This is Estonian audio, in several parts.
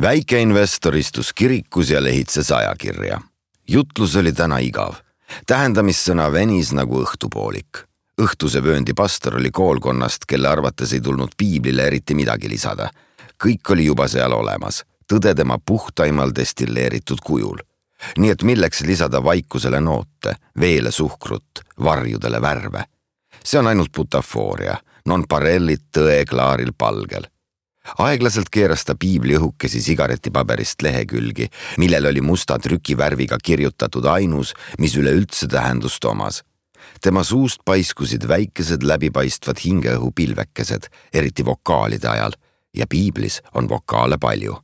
Väikeinvestor istus kirikus ja lehitses ajakirja. Jutlus oli täna igav. Tähendamissõna venis nagu õhtupoolik. Õhtuse vööndi pastor oli koolkonnast, kelle arvates ei tulnud piiblile eriti midagi lisada. Kõik oli juba seal olemas, tõde tema puhtaimal destilleeritud kujul. Nii et milleks lisada vaikusele noote, veele suhkrut, varjudele värve. See on ainult butafooria, non parellit tõe klaaril palgel. Aeglaselt keeras ta piibli õhukesi sigaretipaberist lehekülgi, millel oli musta trükivärviga kirjutatud ainus, mis üleüldse tähendust omas. Tema suust paiskusid väikesed läbipaistvad hingeõhupilvekesed, eriti vokaalide ajal, ja piiblis on vokaale palju.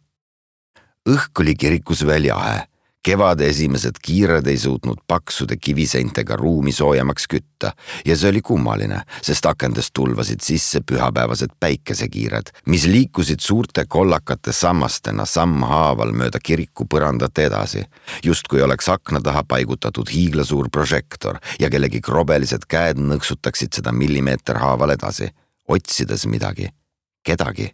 Õhk oli kirikus veel jahe. Kevade esimesed kiired ei suutnud paksude kiviseintega ruumi soojemaks kütta ja see oli kummaline, sest akendest tulvasid sisse pühapäevased päikesekiired, mis liikusid suurte kollakate sammastena sammhaaval mööda kiriku põrandat edasi, justkui oleks akna taha paigutatud hiiglasuur prožektor ja kellegi krobelised käed nõksutaksid seda millimeeter haaval edasi, otsides midagi, kedagi.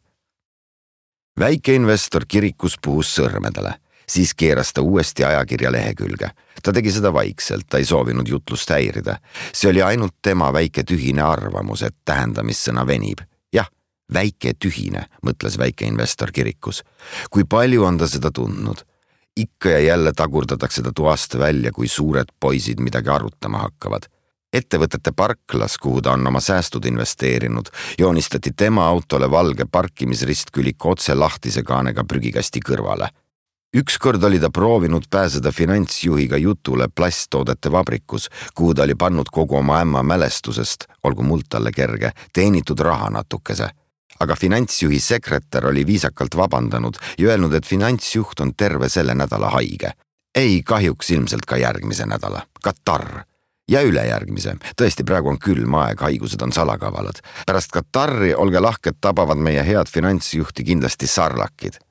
Väikeinvestor kirikus puhus sõrmedele. Siis keeras ta uuesti ajakirja lehekülge. Ta tegi seda vaikselt, ta ei soovinud jutlust häirida. See oli ainult tema väike tühine arvamus, et tähendamissõna venib. Jah, väike tühine, mõtles väikeinvestor kirikus. Kui palju on ta seda tundnud? Ikka ja jälle tagurdatakse ta toast välja, kui suured poisid midagi arutama hakkavad. Ettevõtete parklas, kuhu ta on oma säästud investeerinud, joonistati tema autole valge parkimisristkülik otse lahtise kaanega prügikasti kõrvale. Ükskord oli ta proovinud pääseda finantsjuhiga jutule plasttoodete vabrikus, kuhu ta oli pannud kogu oma ämma mälestusest, olgu muld talle kerge, teenitud raha natukese. Aga finantsjuhi sekretär oli viisakalt vabandanud ja öelnud, et finantsjuht on terve selle nädala haige. Ei, kahjuks ilmselt ka järgmise nädala. Katarr. Ja ülejärgmise. Tõesti, praegu on külm aeg, haigused on salakavalad. Pärast Katarri, olge lahked, tabavad meie head finantsjuhti kindlasti sarlakid.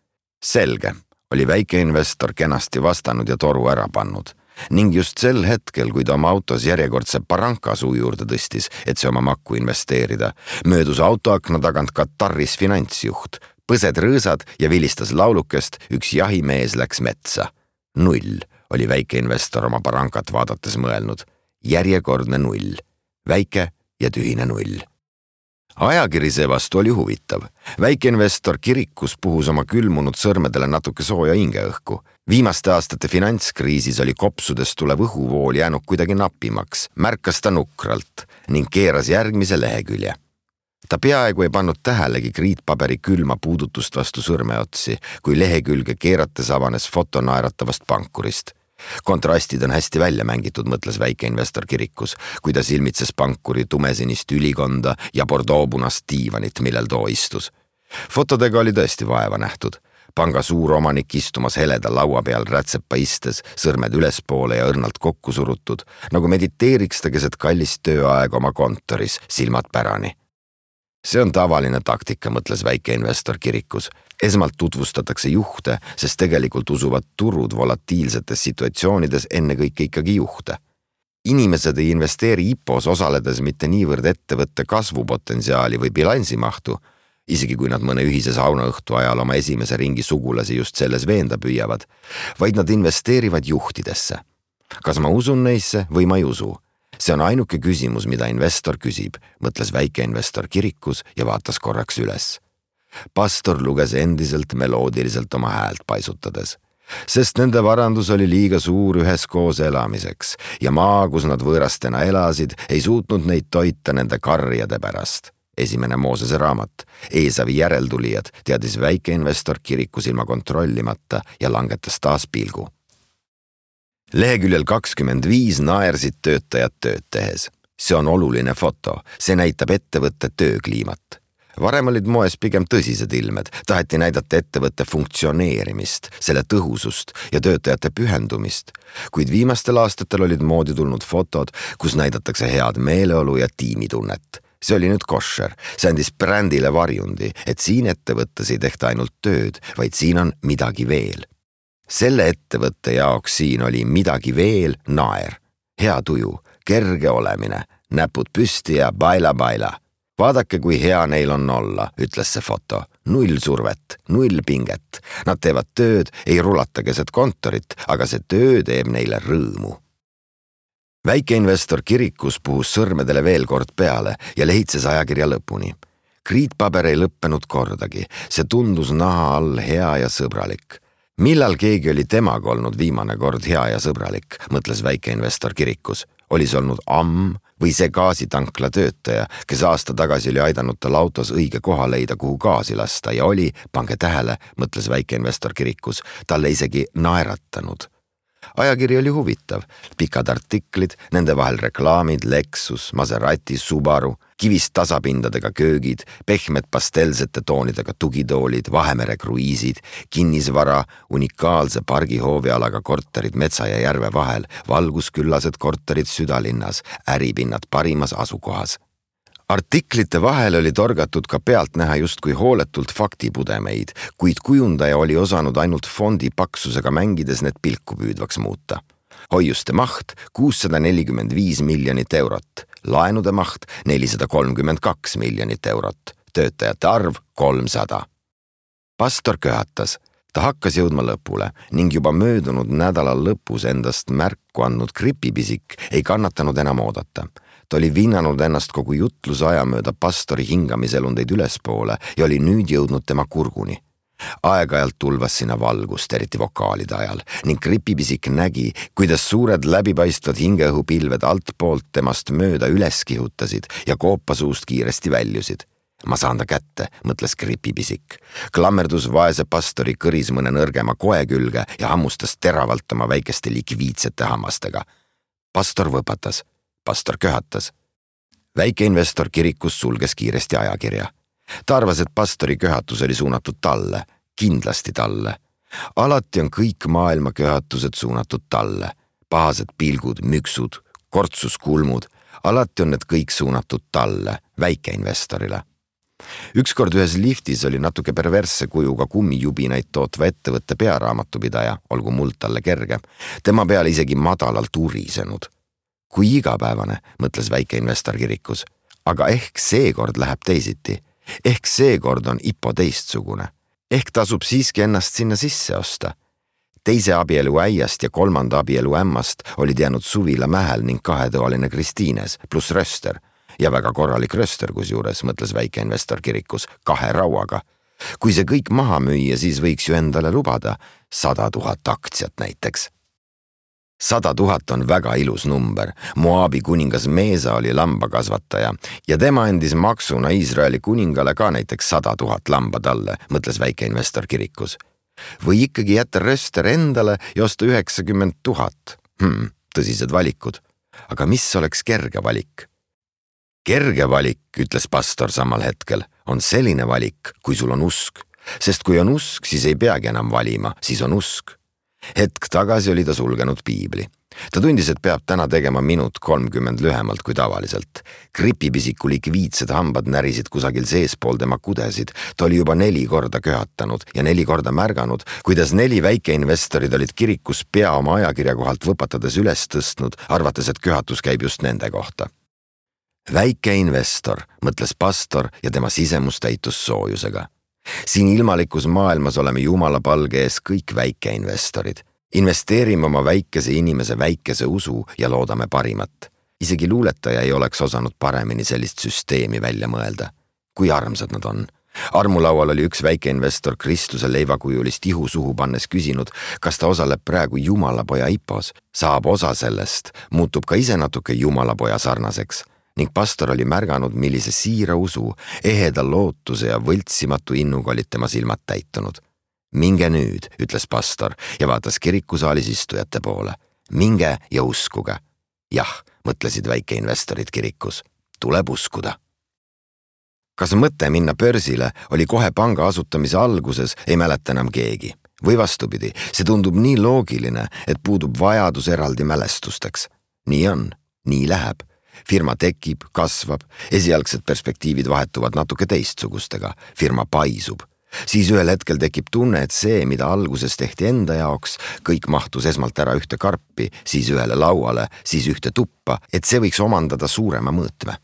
Selge. Oli väikeinvestor kenasti vastanud ja toru ära pannud. Ning just sel hetkel, kui ta oma autos järjekordse paranka suu juurde tõstis, et see oma makku investeerida, möödus autoakna tagant Katarris finantsjuht, põsed rõõsad ja vilistas laulukest, üks jahimees läks metsa. 0 oli väikeinvestor oma parankat vaadates mõelnud. Järjekordne 0. Väike ja tühine 0. Ajakiri seevastu oli huvitav. Väikeinvestor kirikus puhus oma külmunud sõrmedele natuke sooja hingeõhku. Viimaste aastate finantskriisis oli kopsudest tulev õhuvool jäänud kuidagi napimaks, märkas ta nukralt ning keeras järgmise lehekülje. Ta peaaegu ei pannud tähelegi kriitpaberi külma puudutust vastu sõrmeotsi, kui lehekülge keerates avanes foto naeratavast pankurist. Kontrastid on hästi välja mängitud, mõtles väikeinvestor kirikus, kui ta silmitses pankuri tumesinist ülikonda ja bordeauxpunast diivanit, millel too istus. Fotodega oli tõesti vaeva nähtud. Panga suur omanik istumas heleda laua peal rätsepa istes, sõrmed ülespoole ja õrnalt kokku surutud, nagu mediteeriks ta keset kallist tööaega oma kontoris, silmad pärani. See on tavaline taktika, mõtles väikeinvestor kirikus. Esmalt tutvustatakse juhte, sest tegelikult usuvad turud volatiilsetes situatsioonides ennekõike ikkagi juhte. Inimesed ei investeeri IPOs osaledes mitte niivõrd ettevõtte kasvupotentsiaali või bilansimahtu, isegi kui nad mõne ühise saunaõhtu ajal oma esimese ringi sugulasi just selles veenda püüavad, vaid nad investeerivad juhtidesse. Kas ma usun neisse või ma ei usu? See on ainuke küsimus, mida investor küsib, mõtles väikeinvestor kirikus ja vaatas korraks üles. Pastor luges endiselt meloodiliselt oma häält paisutades, sest nende varandus oli liiga suur üheskoos elamiseks ja maa, kus nad võõrastena elasid, ei suutnud neid toita nende karjade pärast. Esimene Moosese raamat, Eesavi järeltulijad, teadis väikeinvestor kirikus ilma kontrollimata ja langetas taas pilgu. Leheküljel 25 naersid töötajad tööd tehes. See on oluline foto, see näitab ettevõtte töökliimat. Varem olid moes pigem tõsised ilmed, taheti näidata ettevõtte funktsioneerimist, selle tõhusust ja töötajate pühendumist, kuid viimastel aastatel olid moodi tulnud fotod, kus näidatakse head meeleolu ja tiimitunnet. See oli nüüd koššer, see andis brändile varjundi, et siin ettevõttes ei tehta ainult tööd, vaid siin on midagi veel. Selle ettevõtte jaoks siin oli midagi veel naer, hea tuju, kerge olemine, näpud püsti ja baila. Vaadake, kui hea neil on olla, ütles see foto. null survet, null pinget. Nad teevad tööd, ei rulata keset kontorit, aga see töö teeb neile rõõmu. Väikeinvestor kirikus puhus sõrmedele veel kord peale ja lehitses ajakirja lõpuni. Kriitpaber ei lõppenud kordagi, see tundus naha all hea ja sõbralik. Millal keegi oli temaga olnud viimane kord hea ja sõbralik, mõtles väikeinvestor kirikus. Oli see olnud amm või see gaasitankla töötaja, kes aasta tagasi oli aidanud tal autos õige koha leida, kuhu gaasi lasta ja oli, pange tähele, mõtles väikeinvestor kirikus, talle isegi naeratanud. Ajakiri oli huvitav, pikad artiklid, nende vahel reklaamid, Lexus, Maserati, Subaru, kivist tasapindadega köögid, pehmed pastelsete toonidega tugitoolid, Vahemere kruiisid, kinnisvara, unikaalse pargihoovialaga korterid metsa ja järve vahel, valgusküllased korterid südalinnas, äripinnad parimas asukohas. Artiklite vahel oli torgatud ka pealt näha justkui hooletult faktipudemeid, kuid kujundaja oli osanud ainult fondi paksusega mängides need pilku püüdvaks muuta. Hoiuste maht 645 miljonit eurot, laenude maht 432 miljonit eurot, töötajate arv 300. Pastor köhatas. Ta hakkas jõudma lõpule ning juba möödunud nädalal lõpus endast märku andnud gripipisik ei kannatanud enam oodata. Ta oli vinnanud ennast kogu jutluse aja mööda pastori hingamiselundeid ülespoole ja oli nüüd jõudnud tema kurguni. Aeg-ajalt tulvas sinna valgust, eriti vokaalide ajal, ning gripipisik nägi, kuidas suured läbipaistvad hingeõhupilved altpoolt temast mööda üles kihutasid ja koopasuust kiiresti väljusid. Ma saan ta kätte, mõtles gripipisik. Klammerdus vaese pastori kõris mõne nõrgema koe külge ja hammustas teravalt oma väikeste likviidsete hammastega. Pastor võpatas. Pastor köhatas. Väikeinvestor kirikus sulges kiiresti ajakirja. Ta arvas, et pastori köhatus oli suunatud talle, kindlasti talle. Alati on kõik maailma köhatused suunatud talle. Pahased pilgud, müksud, kortsuskulmud, alati on need kõik suunatud talle, väikeinvestorile. Ükskord ühes liftis oli natuke perversse kujuga kummijubinaid tootva ettevõtte pearaamatupidaja, olgu muld talle kerge, tema peale isegi madalalt urisenud. Kui igapäevane, mõtles väikeinvestor kirikus, aga ehk seekord läheb teisiti, ehk seekord on IPO teistsugune, ehk tasub siiski ennast sinna sisse osta. Teise abielu äiast ja kolmanda abielu ämmast olid jäänud Suvila Mähel ning kahetoaline Kristiines pluss röster ja väga korralik röster kusjuures, mõtles väikeinvestor kirikus, 2 rauaga. Kui see kõik maha müüa, siis võiks ju endale lubada 100 000 aktsiat näiteks. 100 000 on väga ilus number. Moabi kuningas Meesa oli lambakasvataja ja tema andis maksuna Iisraeli kuningale ka näiteks 100 000 lamba talle, mõtles väikeinvestor kirikus. Või ikkagi jätta röster endale ja osta 90 000. Tõsised valikud. Aga mis oleks kerge valik? Kerge valik, ütles pastor samal hetkel, on selline valik, kui sul on usk. Sest kui on usk, siis ei peagi enam valima, siis on usk. Hetk tagasi oli ta sulgenud piibli. Ta tundis, et peab täna tegema minut 30 lühemalt kui tavaliselt. Gripipisiku likviidsed hambad närisid kusagil seespool tema kudesid. Ta oli juba 4 korda köhatanud ja 4 korda märganud, kuidas 4 väikeinvestorid olid kirikus pea oma ajakirja kohalt võpatades üles tõstnud, arvates, et köhatus käib just nende kohta. Väikeinvestor, mõtles pastor ja tema sisemus täitus soojusega. Siin ilmalikus maailmas oleme Jumala palge ees kõik väikeinvestorid. Investeerime oma väikese inimese väikese usu ja loodame parimat. Isegi luuletaja ei oleks osanud paremini sellist süsteemi välja mõelda. Kui armsad nad on. Armulaual oli üks väikeinvestor Kristuse leivakujulist ihu suhu pannes küsinud, kas ta osaleb praegu Jumalapoja IPOs, saab osa sellest, muutub ka ise natuke Jumalapoja sarnaseks. Ning pastor oli märganud, millise siira usu, eheda lootuse ja võltsimatu innuga olid tema silmad täitunud. Minge nüüd, ütles pastor ja vaatas kirikusaalis istujate poole. Minge ja uskuge. Jah, mõtlesid väikeinvestorid kirikus. Tuleb uskuda. Kas mõte minna börsile oli kohe panga asutamise alguses, ei mäleta enam keegi. Või vastupidi, see tundub nii loogiline, et puudub vajadus eraldi mälestusteks. Nii on, nii läheb. Firma tekib, kasvab, esialgsed perspektiivid vahetuvad natuke teistsugustega, firma paisub. Siis ühel hetkel tekib tunne, et see, mida alguses tehti enda jaoks, kõik mahtus esmalt ära ühte karpi, siis ühele lauale, siis ühte tuppa, et see võiks omandada suurema mõõtme.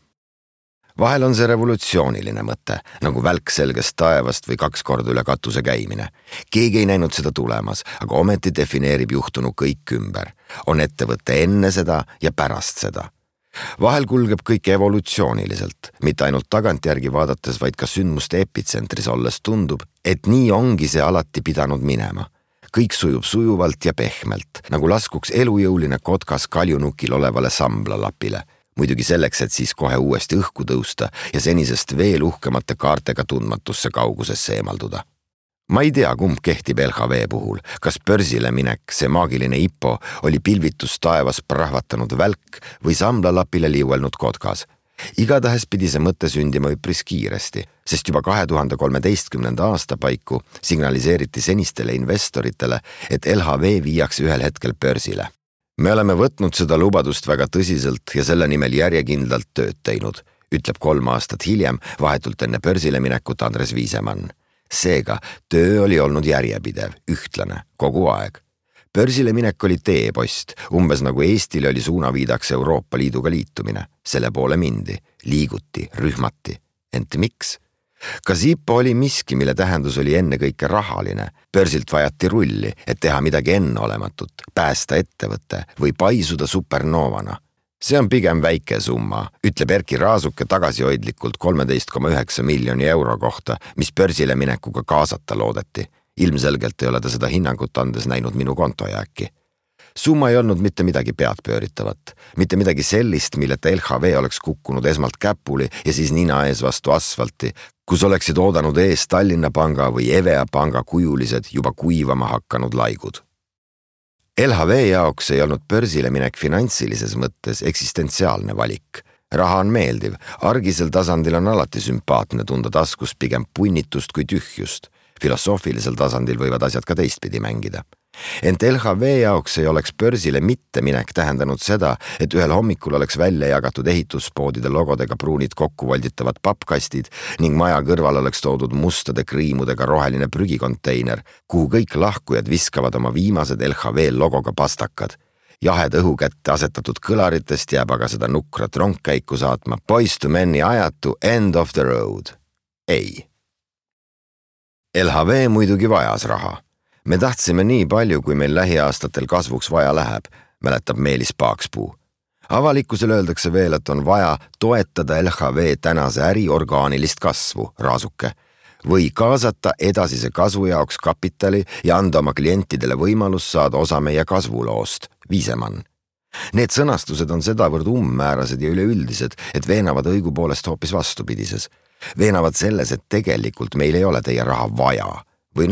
Vahel on see revolutsiooniline mõte, nagu välk selgest taevast või 2 korda üle katuse käimine. Keegi ei näinud seda tulemas, aga ometi defineerib juhtunu kõik ümber. On ettevõte enne seda ja pärast seda. Vahel kulgeb kõik evolutsiooniliselt, mitte ainult tagantjärgi vaadates, vaid ka sündmuste epitsentris olles tundub, et nii ongi see alati pidanud minema. Kõik sujub sujuvalt ja pehmelt, nagu laskuks elujõuline kotkas kaljunukil olevale samblalapile. Muidugi selleks, et siis kohe uuesti õhku tõusta ja senisest veel uhkemate kaartega tundmatusse kaugusesse eemalduda. Ma ei tea, kumb kehtib LHV puhul, kas börsile minek, see maagiline IPO, oli pilvitus taevas prahvatanud välk või samblalapile liuelnud kotkas. Igatahes pidi see mõte sündima üpris kiiresti, sest juba 2013. aasta paiku signaliseeriti senistele investoritele, et LHV viiakse ühel hetkel börsile. Me oleme võtnud seda lubadust väga tõsiselt ja selle nimel järjekindlalt tööd teinud, ütleb 3 aastat hiljem vahetult enne börsile minekut Andres Viisemann. Seega, töö oli olnud järjepidev, ühtlane, kogu aeg. Börsile minek oli teepost, umbes nagu Eestile oli suunaviidaks Euroopa Liiduga liitumine. Selle poole mindi, liiguti, rühmati. Ent miks? Kas IPO oli miski, mille tähendus oli ennekõike rahaline? Börsilt vajati rulli, et teha midagi enneolematut, päästa ettevõtte või paisuda supernoovana. See on pigem väike summa, ütleb Erki Raasuke tagasihoidlikult 13,9 miljoni euro kohta, mis börsile minekuga kaasata loodeti. Ilmselgelt ei ole ta seda hinnangut andes näinud minu kontojääki. Summa ei olnud mitte midagi peadpööritavat, mitte midagi sellist, milleta LHV oleks kukkunud esmalt käpuli ja siis nina ees vastu asfalti, kus oleksid oodanud ees Tallinna Panga või EVEA Panga kujulised juba kuivama hakanud laigud. LHV jaoks ei olnud börsile minek finantsilises mõttes eksistentsiaalne valik. Raha on meeldiv, argisel tasandil on alati sümpaatne tunda taskus pigem punnitust kui tühjust. Filosoofilisel tasandil võivad asjad ka teistpidi mängida. Ent LHV jaoks ei oleks börsile mitte minek tähendanud seda, et ühel hommikul oleks välja jagatud ehituspoodide logodega pruunid kokku volditavad pappkastid ning maja kõrval oleks toodud mustade kriimudega roheline prügikonteiner, kuhu kõik lahkujad viskavad oma viimased LHV logoga pastakad. Jahed õhu kätte asetatud kõlaritest jääb aga seda nukrat rongkäiku saatma Boyz II Meni ajatu End of the Road. Ei. LHV muidugi vajas raha. Me tahtsime nii palju, kui meil lähiaastatel kasvuks vaja läheb, mäletab Meelis Paakspuu. Avalikkusele öeldakse veel, et on vaja toetada LHV tänase äri orgaanilist kasvu, Raasuke, või kaasata edasise kasvu jaoks kapitali ja anda oma klientidele võimalus saada osa meie kasvuloost, Viisemann. Need sõnastused on sedavõrd ummäärased ja üleüldised, et veenavad õigupoolest hoopis vastupidises. Veenavad selles, et tegelikult meil ei ole teie raha vaja. Või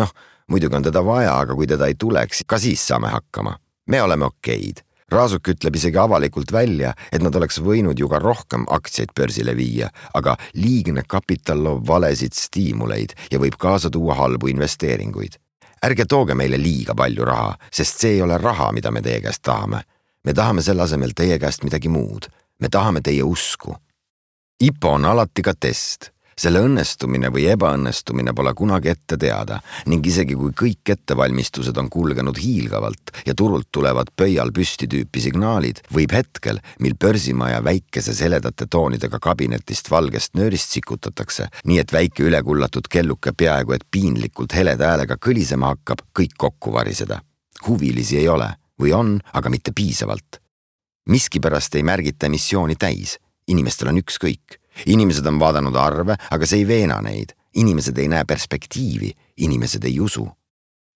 muidugi on teda vaja, aga kui teda ei tuleks, ka siis saame hakkama. Me oleme okeid. Raasuk ütleb isegi avalikult välja, et nad oleks võinud ju ka rohkem aktsiaid börsile viia, aga liigne kapital loob valesid stiimuleid ja võib kaasa tuua halbu investeeringuid. Ärge tooge meile liiga palju raha, sest see ei ole raha, mida me teie käest tahame. Me tahame selle asemel teie käest midagi muud. Me tahame teie usku. IPO on alati ka test. Selle õnnestumine või ebaõnnestumine pole kunagi ette teada ning isegi kui kõik ettevalmistused on kulgenud hiilgavalt ja turult tulevad pöial püsti tüüpi signaalid, võib hetkel, mil börsimaja väikese seledate toonidega kabinetist valgest nöörist sikutatakse, nii et väike ülekullatud kelluke peaaegu et piinlikult heleda häälega kõlisema hakkab, kõik kokku variseda. Huvilisi ei ole või on, aga mitte piisavalt. Miskipärast ei märgita emissiooni täis. Inimestel on ükskõik. Inimesed on vaadanud arve, aga see ei veena neid. Inimesed ei näe perspektiivi, inimesed ei usu.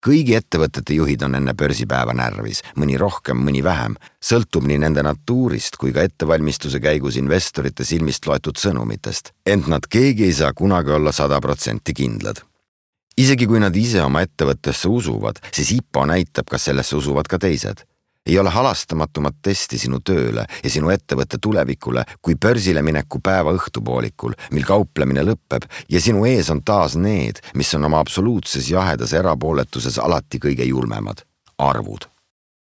Kõigi ettevõtete juhid on enne börsipäeva närvis, mõni rohkem, mõni vähem, sõltub nii nende natuurist kui ka ettevalmistuse käigus investorite silmist loetud sõnumitest, ent nad keegi ei saa kunagi olla 100% kindlad. Isegi kui nad ise oma ettevõttesse usuvad, siis IPO näitab, kas sellesse usuvad ka teised. Ei ole halastamatumat testi sinu tööle ja sinu ettevõtte tulevikule kui börsile mineku päeva õhtupoolikul, mil kauplemine lõpeb ja sinu ees on taas need, mis on oma absoluutses jahedas erapooletuses alati kõige julmemad – arvud.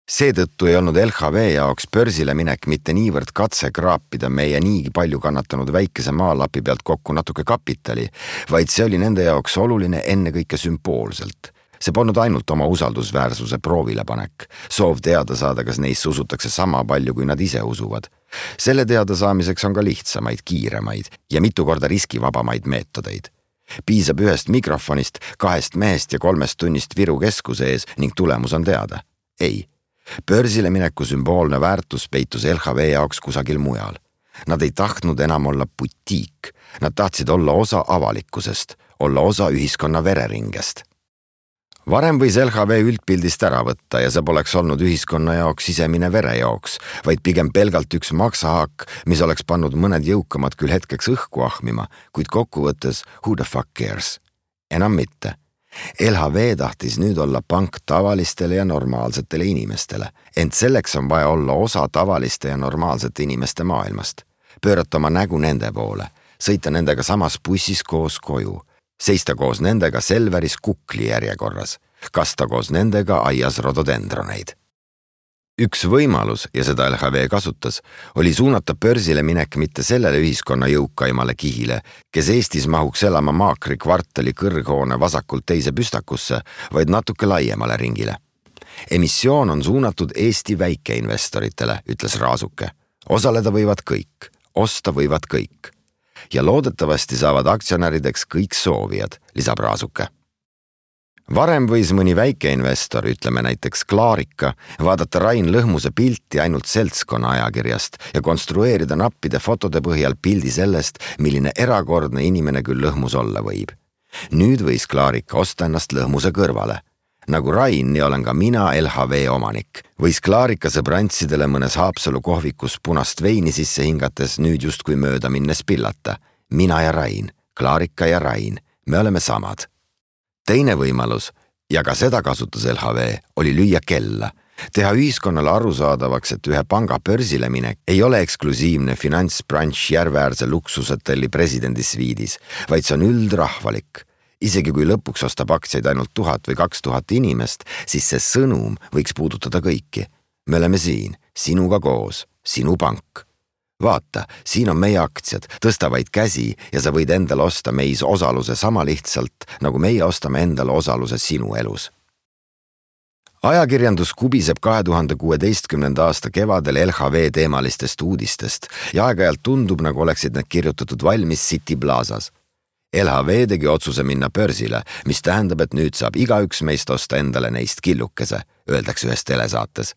Seetõttu ei olnud LHV jaoks börsile minek mitte niivõrd katse kraapida meie niigi palju kannatanud väikese maalapi pealt kokku natuke kapitali, vaid see oli nende jaoks oluline ennekõike sümboolselt. See polnud ainult oma usaldusväärsuse proovile panek, soov teada saada, kas neisse usutakse sama palju, kui nad ise usuvad. Selle teada saamiseks on ka lihtsamaid, kiiremaid ja mitu korda riskivabamaid meetodeid. Piisab ühest mikrofonist, 2 mehest ja 3 tunnist Viru keskuse ees ning tulemus on teada. Ei, börsile mineku sümboolne väärtus peitus LHV jaoks kusagil mujal. Nad ei tahtnud enam olla butiik, nad tahtsid olla osa avalikkusest, olla osa ühiskonna vereringest. Varem võis LHV üldpildist ära võtta ja see poleks olnud ühiskonna jaoks sisemine verejooks, vaid pigem pelgalt üks maksahaak, mis oleks pannud mõned jõukamad küll hetkeks õhku ahmima, kuid kokkuvõttes who the fuck cares? Enam mitte. LHV tahtis nüüd olla pank tavalistele ja normaalsetele inimestele, ent selleks on vaja olla osa tavaliste ja normaalsete inimeste maailmast. Pöörata oma nägu nende poole, sõita nendega samas bussis koos koju, seista koos nendega Selveris kukli järjekorras, kasta koos nendega aias rododendroneid. Üks võimalus, ja seda LHV kasutas, oli suunata börsile minek mitte sellele ühiskonna jõukaimale kihile, kes Eestis mahuks elama Maakri kvartali kõrghoone vasakult teise püstakusse, vaid natuke laiemale ringile. Emissioon on suunatud Eesti väikeinvestoritele, ütles Raasuke. Osaleda võivad kõik, osta võivad kõik. Ja loodetavasti saavad aktsionärideks kõik soovijad, lisab Raasuke. Varem võis mõni väikeinvestor, ütleme näiteks Klaarika, vaadata Rain Lõhmuse pilti ainult seltskonna ajakirjast ja konstrueerida nappide fotode põhjal pildi sellest, milline erakordne inimene küll Lõhmus olla võib. Nüüd võis Klaarika osta ennast Lõhmuse kõrvale. Nagu Rain, nii olen ka mina LHV omanik. Võis Klaarika sõbrantsidele mõnes Haapsalu kohvikus punast veini sisse hingates nüüd justkui mööda minnes pillata. Mina ja Rain, Klaarika ja Rain, me oleme samad. Teine võimalus, ja ka seda kasutas LHV, oli lüüa kella. Teha ühiskonnale arusaadavaks, et ühe panga börsile minek ei ole eksklusiivne finantsbranš Järveäärse luksusetelli presidendisviidis, vaid see on üldrahvalik. Isegi kui lõpuks ostab aktsiaid ainult 1000 või 2000 inimest, siis see sõnum võiks puudutada kõiki. Me oleme siin, sinuga koos, sinu pank. Vaata, siin on meie aktsiad, tõsta vaid käsi ja sa võid endale osta meis osaluse sama lihtsalt, nagu meie ostame endale osaluse sinu elus. Ajakirjandus kubiseb 2016. aasta kevadel LHV teemalistest uudistest ja aeg-ajalt tundub, nagu oleksid need kirjutatud valmis City Plazas. LHV tegi otsuse minna börsile, mis tähendab, et nüüd saab igaüks meist osta endale neist killukese, öeldakse ühes telesaates.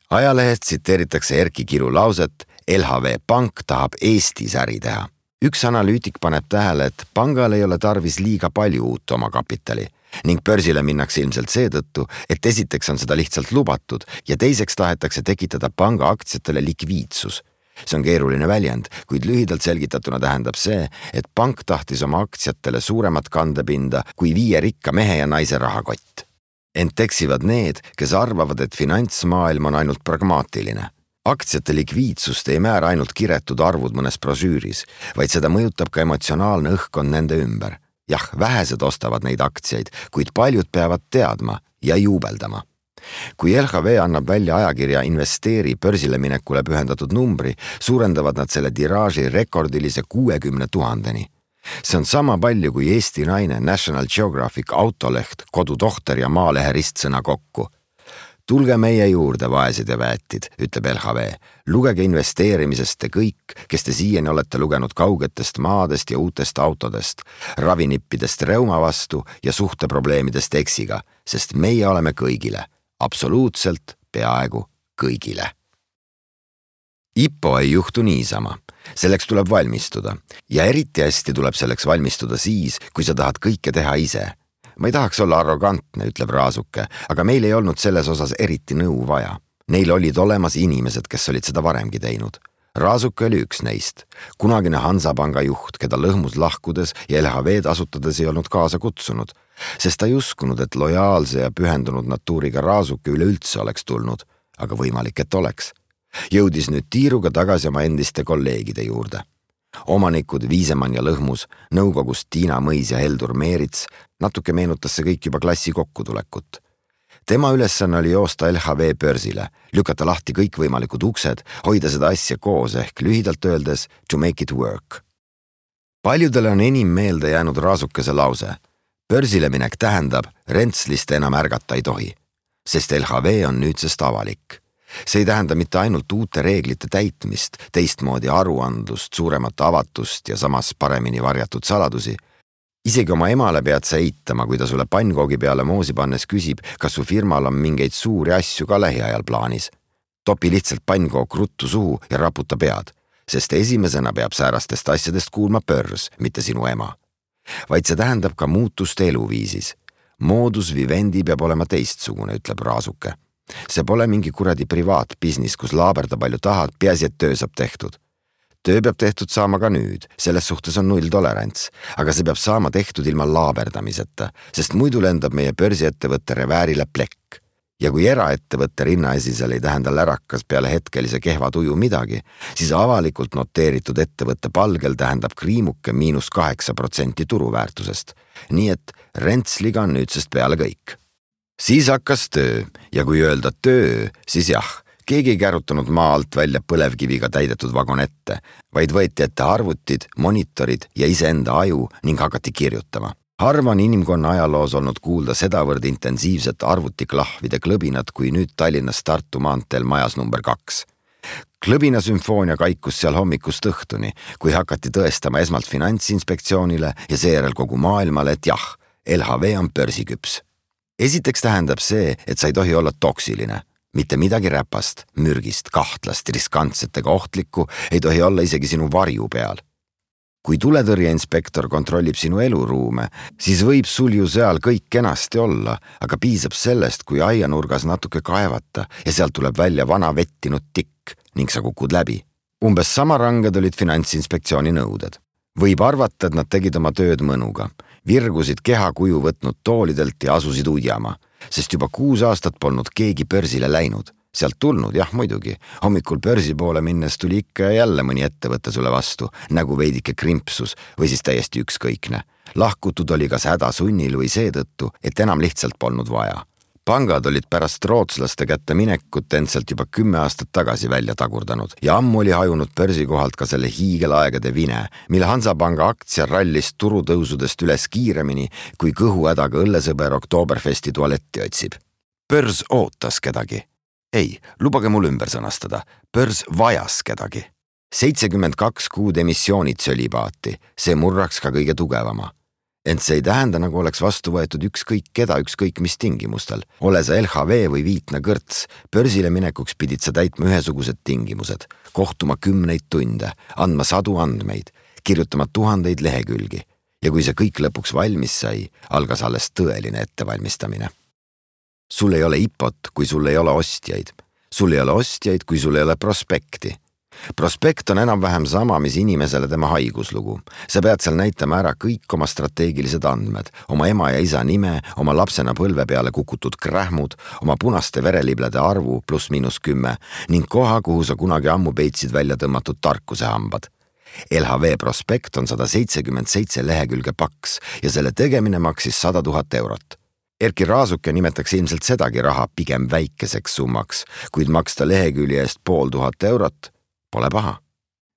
Ajalehest tsiteeritakse Erki Kiru lauset, LHV pank tahab Eestis äri teha. Üks analüütik paneb tähele, et pangal ei ole tarvis liiga palju uut oma kapitali ning börsile minnakse ilmselt seetõttu, et esiteks on seda lihtsalt lubatud ja teiseks tahetakse tekitada panga aktsiatele likviidsus. See on keeruline väljend, kuid lühidalt selgitatuna tähendab see, et pank tahtis oma aktsiatele suuremat kandepinda kui 5 rikka mehe ja naise rahakott. Ent eksivad need, kes arvavad, et finantsmaailm on ainult pragmaatiline. Aktsiate likviidsust ei määra ainult kiretud arvud mõnes brošüüris, vaid seda mõjutab ka emotsionaalne õhkkond nende ümber. Jah, vähesed ostavad neid aktsiaid, kuid paljud peavad teadma ja juubeldama. Kui LHV annab välja ajakirja Investeeri börsile minekule pühendatud numbri, suurendavad nad selle tiraaži rekordilise 60 000-ni. See on sama palju kui Eesti Naine, National Geographic, Autoleht, Kodutohter ja Maalehe ristsõna kokku. Tulge meie juurde, vaesed ja väetid, ütleb LHV. Lugege investeerimisest te kõik, kes te siiani olete lugenud kaugetest maadest ja uutest autodest, ravinippidest reuma vastu ja suhteprobleemidest eksiga, sest meie oleme kõigile, absoluutselt peaaegu kõigile. IPO ei juhtu niisama. Selleks tuleb valmistuda ja eriti hästi tuleb selleks valmistuda siis, kui sa tahad kõike teha ise. Ma ei tahaks olla arrogantne, ütleb Raasuke, aga meil ei olnud selles osas eriti nõu vaja. Neil olid olemas inimesed, kes olid seda varemgi teinud. Raasuke oli üks neist, kunagine Hansapanga juht, keda Lõhmus lahkudes ja LHV-d asutades ei olnud kaasa kutsunud, sest ta ei uskunud, et lojaalse ja pühendunud natuuriga Raasuke üleüldse oleks tulnud, aga võimalik, et oleks. Jõudis nüüd tiiruga tagasi oma endiste kolleegide juurde. Omanikud Viisemann ja Lõhmus, nõukogust Tiina Mõis ja Heldur Meerits, natuke meenutas see kõik juba klassi kokkutulekut. Tema ülesanne oli joosta LHV börsile, lükata lahti kõik võimalikud uksed, hoida seda asja koos ehk lühidalt öeldes to make it work. Paljudele on enim meelde jäänud Raasukese lause. Börsile minek tähendab, Rentslist enam ärgata ei tohi, sest LHV on nüüdsest avalik. See ei tähenda mitte ainult uute reeglite täitmist, teistmoodi aruandlust, suuremat avatust ja samas paremini varjatud saladusi. Isegi oma emale pead sa eitama, kui ta sulle pannkoogi peale moosi pannes küsib, kas su firmal on mingeid suuri asju ka lähiajal plaanis. Topi lihtsalt pannkook ruttu suhu ja raputa pead, sest esimesena peab säärastest asjadest kuulma börs, mitte sinu ema. Vaid see tähendab ka muutust eluviisis. Modus vivendi peab olema teistsugune, ütleb Raasuke. See pole mingi kuradi privaatbisnis, kus laaberda palju tahad, peaasi, et töö saab tehtud. Töö peab tehtud saama ka nüüd, selles suhtes on 0 tolerants, aga see peab saama tehtud ilma laaberdamiseta, sest muidu lendab meie börsiettevõtte reväärile plekk. Ja kui eraettevõtte rinnaesisel ei tähenda lärakas peale hetkelise kehva tuju midagi, siis avalikult noteeritud ettevõtte palgel tähendab kriimuke -8% turuväärtusest. Nii et Rentsliga on nüüdsest peale kõik. Siis hakkas töö ja kui öelda töö, siis jah, keegi ei kärutanud maa alt välja põlevkiviga täidetud vagonette, vaid võeti ette arvutid, monitorid ja iseenda aju ning hakati kirjutama. Harva on inimkonna ajaloos olnud kuulda sedavõrd intensiivset arvutiklahvide klõbinat kui nüüd Tallinnas Tartu maanteel majas number 2. Klõbina sümfoonia kaikus seal hommikust õhtuni, kui hakati tõestama esmalt Finantsinspektsioonile ja seejärel kogu maailmale, et jah, LHV on börsiküps. Esiteks tähendab see, et sa ei tohi olla toksiline. Mitte midagi räpast, mürgist, kahtlast, riskantsetega ohtlikku ei tohi olla isegi sinu varju peal. Kui tuletõrjeinspektor kontrollib sinu eluruume, siis võib sul ju seal kõik kenasti olla, aga piisab sellest, kui aianurgas natuke kaevata ja sealt tuleb välja vana vettinud tikk ning sa kukud läbi. Umbes sama ranged olid Finantsinspektsiooni nõuded. Võib arvata, et nad tegid oma tööd mõnuga, virgusid kehakuju võtnud toolidelt ja asusid udjama, sest juba 6 aastat polnud keegi börsile läinud. Sealt tulnud, jah muidugi, hommikul börsi poole minnes tuli ikka ja jälle mõni ettevõte sulle vastu, nagu veidike krimpsus või siis täiesti ükskõikne. Lahkutud oli kas hädasunnil või seetõttu, et enam lihtsalt polnud vaja. Pangad olid pärast rootslaste kätte minekut endsalt juba 10 aastat tagasi välja tagurdanud ja ammu oli hajunud börsikohalt ka selle hiigelaegade vine, mille Hansapanga aktsia rallis turutõusudest üles kiiremini, kui kõhuhädaga õllesõber Oktoberfesti tualetti otsib. Börs ootas kedagi. Ei, lubage mul ümber sõnastada. Börs vajas kedagi. 72 kuud emissioonid sölibaati, see murraks ka kõige tugevama. Ent see ei tähenda, nagu oleks vastu võetud ükskõik keda, ükskõik mis tingimustel. Ole sa LHV või Viitna kõrts, börsile minekuks pidid sa täitma ühesugused tingimused, kohtuma 10 tunde, andma 100 andmeid, kirjutama 1000 lehekülgi. Ja kui see kõik lõpuks valmis sai, algas alles tõeline ettevalmistamine. Sul ei ole IPOt, kui sul ei ole ostjaid. Sul ei ole ostjaid, kui sul ei ole prospekti. Prospekt on enam-vähem sama, mis inimesele tema haiguslugu. Sa pead seal näitama ära kõik oma strateegilised andmed, oma ema ja isa nime, oma lapsena põlve peale kukutud krähmud, oma punaste vereliblede arvu +-10 ning koha, kuhu sa kunagi ammu peitsid välja tõmmatud tarkuse hambad. LHV prospekt on 177 lehekülge paks ja selle tegemine maksis 100 000 eurot. Erki Raasuke nimetaks ilmselt sedagi raha pigem väikeseks summaks, kuid maksta lehekülje eest 500 eurot pole paha.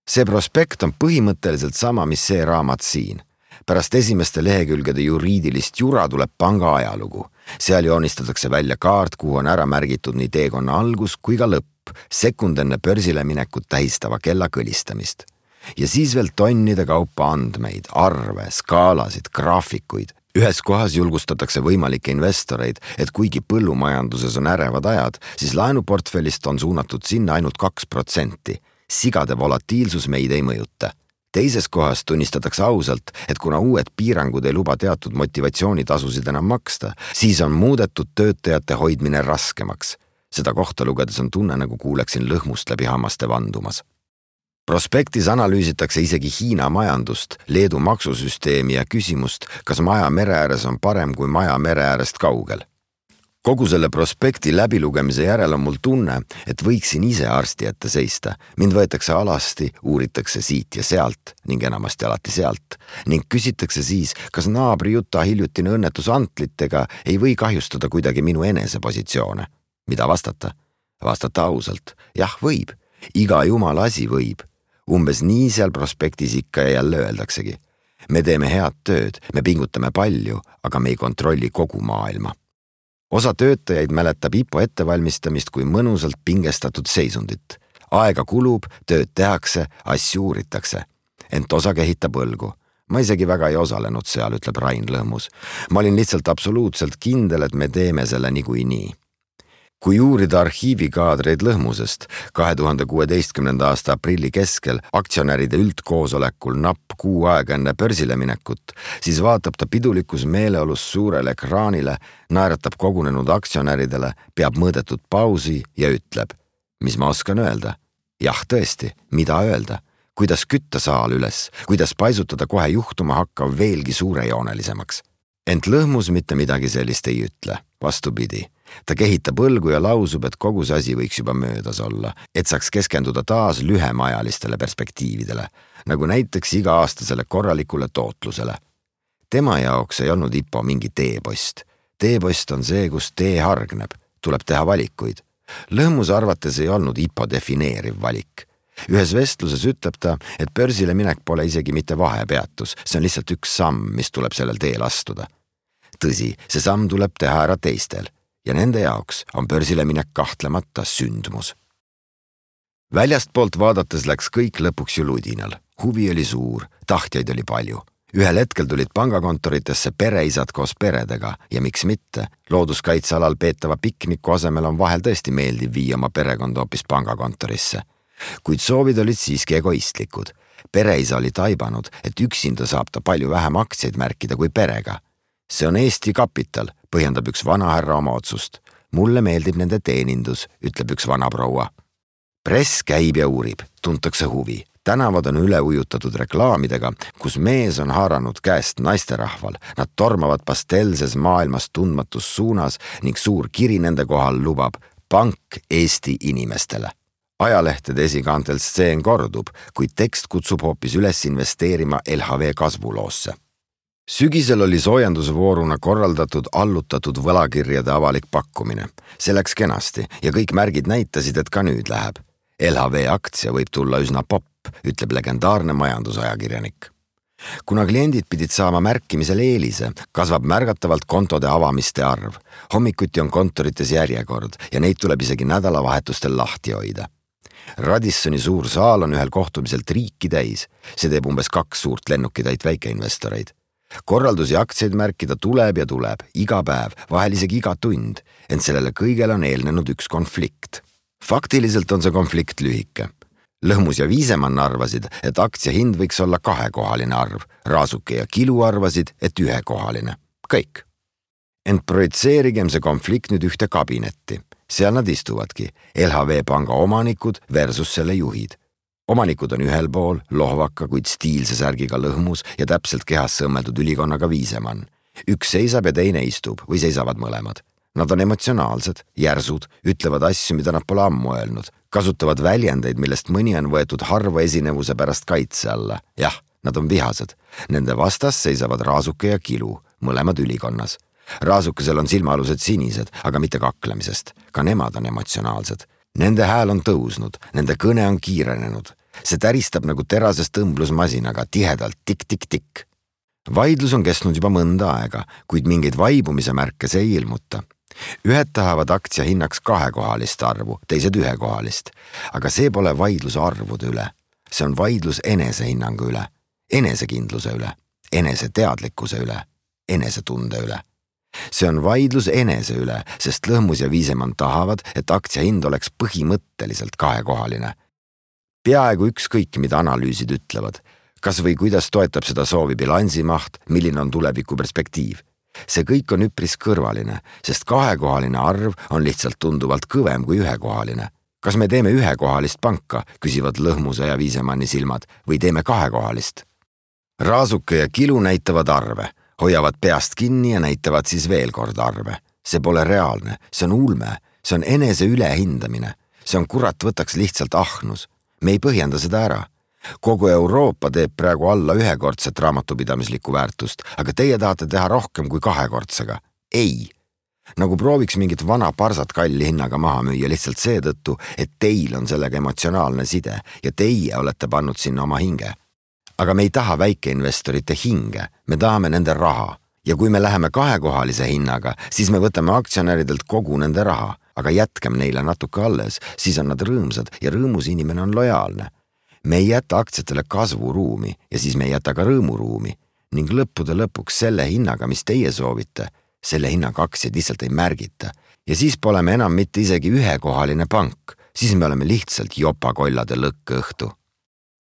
See prospekt on põhimõtteliselt sama, mis see raamat siin. Pärast esimeste lehekülgede juriidilist jura tuleb panga ajalugu. Seal joonistatakse välja kaart, kuhu on ära märgitud nii teekonna algus kui ka lõpp, sekund enne börsile minekut tähistava kella kõlistamist. Ja siis veel tonnide kaupa andmeid, arve, skaalasid, graafikuid. Ühes kohas julgustatakse võimalikke investoreid, et kuigi põllumajanduses on ärevad ajad, siis laenuportfellist on suunatud sinna ainult 2%. Sigade volatiilsus meid ei mõjuta. Teises kohas tunnistatakse ausalt, et kuna uued piirangud ei luba teatud motivatsioonitasusid enam maksta, siis on muudetud töötajate hoidmine raskemaks. Seda kohta lugedes on tunne, nagu kuuleksin lõhmust läbi hammaste vandumas. Prospektis analüüsitakse isegi Hiina majandust, Leedu maksusüsteemi ja küsimust, kas maja mere ääres on parem kui maja mere äärest kaugel. Kogu selle prospekti läbilugemise järel on mul tunne, et võiksin ise arsti ette seista. Mind võetakse alasti, uuritakse siit ja sealt ning enamasti alati sealt ning küsitakse siis, kas naabri Juta hiljutine õnnetus antlitega ei või kahjustada kuidagi minu enesepositsioone. Mida vastata? Vastata ausalt. Jah, võib. Iga jumala asi võib. Umbes nii seal prospektis ikka ja jälle öeldaksegi. me teeme head tööd, me pingutame palju, aga me ei kontrolli kogu maailma. Osa töötajaid mäletab IPO ettevalmistamist kui mõnusalt pingestatud seisundit. Aega kulub, tööd tehakse, asju uuritakse. Ent osa kehitab õlgu. Ma isegi väga ei osalenud seal, ütleb Rain Lõhmus. Ma olin lihtsalt absoluutselt kindel, et me teeme selle niikuinii. Kui uurida arhiivikaadreid Lõhmusest 2016. aasta aprilli keskel aktsionäride üldkoosolekul napp kuu aega enne börsile minekut, siis vaatab ta pidulikus meeleolus suurele ekraanile, naeratab kogunenud aktsionäridele, peab mõõdetud pausi ja ütleb, mis ma oskan öelda? Jah, tõesti, mida öelda? Kuidas kütta saal üles, kuidas paisutada kohe juhtuma hakkav veelgi suurejoonelisemaks. Ent Lõhmus mitte midagi sellist ei ütle, vastupidi. Ta kehitab õlgu ja lausub, et kogu see asi võiks juba möödas olla, et saaks keskenduda taas lühemaajalistele perspektiividele, nagu näiteks iga-aastasele korralikule tootlusele. Tema jaoks ei olnud IPO mingi teepost. Teepost on see, kus tee hargneb, tuleb teha valikuid. Lõhmuse arvates ei olnud IPO defineeriv valik. Ühes vestluses ütleb ta, et börsile minek pole isegi mitte vahepeatus, see on lihtsalt üks samm, mis tuleb sellel teel astuda. Tõsi, see samm tuleb teha ära teistel ja nende jaoks on börsile minek kahtlemata sündmus. Väljastpoolt vaadates läks kõik lõpuks ju ludinal. Huvi oli suur, tahtjaid oli palju. Ühel hetkel tulid pangakontoritesse pereisad koos peredega ja miks mitte, looduskaitsealal peetava pikniku asemel on vahel tõesti meeldiv viia oma perekond hoopis pangakontorisse. Kuid soovid olid siiski egoistlikud. Pereisa oli taibanud, et üksinda saab ta palju vähem aktsiaid märkida kui perega. See on Eesti kapital, põhjendab üks vanahärra oma otsust. Mulle meeldib nende teenindus, ütleb üks vanaproua. Press käib ja uurib, tuntakse huvi. Tänavad on üle ujutatud reklaamidega, kus mees on haaranud käest naisterahval. Nad tormavad pastelses maailmas tundmatus suunas ning suur kiri nende kohal lubab pank Eesti inimestele. Ajalehtede esikaantel stseen kordub, kuid tekst kutsub hoopis üles investeerima LHV kasvuloosse. Sügisel oli soojendusvooruna korraldatud allutatud võlakirjade avalik pakkumine. See läks kenasti ja kõik märgid näitasid, et ka nüüd läheb. LHV aktsia võib tulla üsna popp, ütleb legendaarne majandusajakirjanik. Kuna kliendid pidid saama märkimisel eelise, kasvab märgatavalt kontode avamiste arv. Hommikuti on kontorites järjekord ja neid tuleb isegi nädalavahetustel lahti hoida. Radissoni suur saal on ühel kohtumiselt riiki täis. See teeb umbes 2 suurt lennukitäit väikeinvestoreid. Korraldusi aktsiaid märkida tuleb ja tuleb, iga päev, vahel isegi iga tund, ent sellele kõigele on eelnenud üks konflikt. Faktiliselt on see konflikt lühike. Lõhmus ja Viisemann arvasid, et aktsia hind võiks olla 2-kohaline arv, Raasuke ja Kilu arvasid, et 1-kohaline. Kõik. Ent projitseerigem see konflikt nüüd ühte kabinetti. Seal nad istuvadki, LHV panga omanikud versus selle juhid. Omanikud on ühel pool, lohvaka, kuid stiilse särgiga Lõhmus ja täpselt kehasse õmmeldud ülikonnaga Viisemann. Üks seisab ja teine istub või seisavad mõlemad. Nad on emotsionaalsed, järsud, ütlevad asju, mida nad pole ammu öelnud, kasutavad väljendeid, millest mõni on võetud harva esinevuse pärast kaitse alla. Jah, nad on vihased. Nende vastas seisavad Raasuke ja Kilu, mõlemad ülikonnas. Raasukesel on silmaalused sinised, aga mitte kaklemisest. Ka nemad on emotsionaalsed. Nende hääl on tõusnud, nende kõne on kiirenenud. See täristab nagu terasest õmblusmasinaga tihedalt tik-tik-tik. Vaidlus on kestnud juba mõnda aega, kuid mingeid vaibumise märke see ei ilmuta. Ühed tahavad aktsia hinnaks 2-kohalist arvu, teised 1-kohalist. Aga see pole vaidlus arvude üle. See on vaidlus enesehinnangu üle, enesekindluse üle, eneseteadlikkuse üle, enesetunde üle. See on vaidlus enese üle, sest Lõhmus ja Viisemann tahavad, et aktsia hind oleks põhimõtteliselt 2-kohaline. Peaaegu ükskõik, mida analüüsid ütlevad, kas või kuidas toetab seda soovi bilansimaht, milline on tuleviku perspektiiv. See kõik on üpris kõrvaline, sest 2-kohaline arv on lihtsalt tunduvalt kõvem kui 1-kohaline. Kas me teeme 1-kohalist panka, küsivad Lõhmuse ja Viisemanni silmad, või teeme 2-kohalist? Raasuke ja Kilu näitavad arve. Hoiavad peast kinni ja näitavad siis veel kord arve. See pole reaalne, see on ulme, see on enese ülehindamine. See on kurat võtaks lihtsalt ahnus. Me ei põhjenda seda ära. Kogu Euroopa teeb praegu alla 1-kordset raamatupidamislikku väärtust, aga teie tahate teha rohkem kui 2-kordsega. Ei. Nagu prooviks mingit vana parsat kalli hinnaga maha müüa lihtsalt seetõttu, et teil on sellega emotsionaalne side ja teie olete pannud sinna oma hinge. aga me ei taha väikeinvestorite hinge, me tahame nende raha. Ja kui me läheme kahekohalise hinnaga, siis me võtame aktsionäridelt kogu nende raha, aga jätkem neile natuke alles, siis on nad rõõmsad ja rõõmus inimene on lojaalne. Me ei jäta aktsiatele kasvuruumi ja siis me ei jäta ka rõõmuruumi ning lõppude lõpuks selle hinnaga, mis teie soovite, selle hinnaga aktsiaid lihtsalt ei märgita. Ja siis pole me enam mitte isegi ühekohaline pank, siis me oleme lihtsalt jopakollade lõkkõhtu.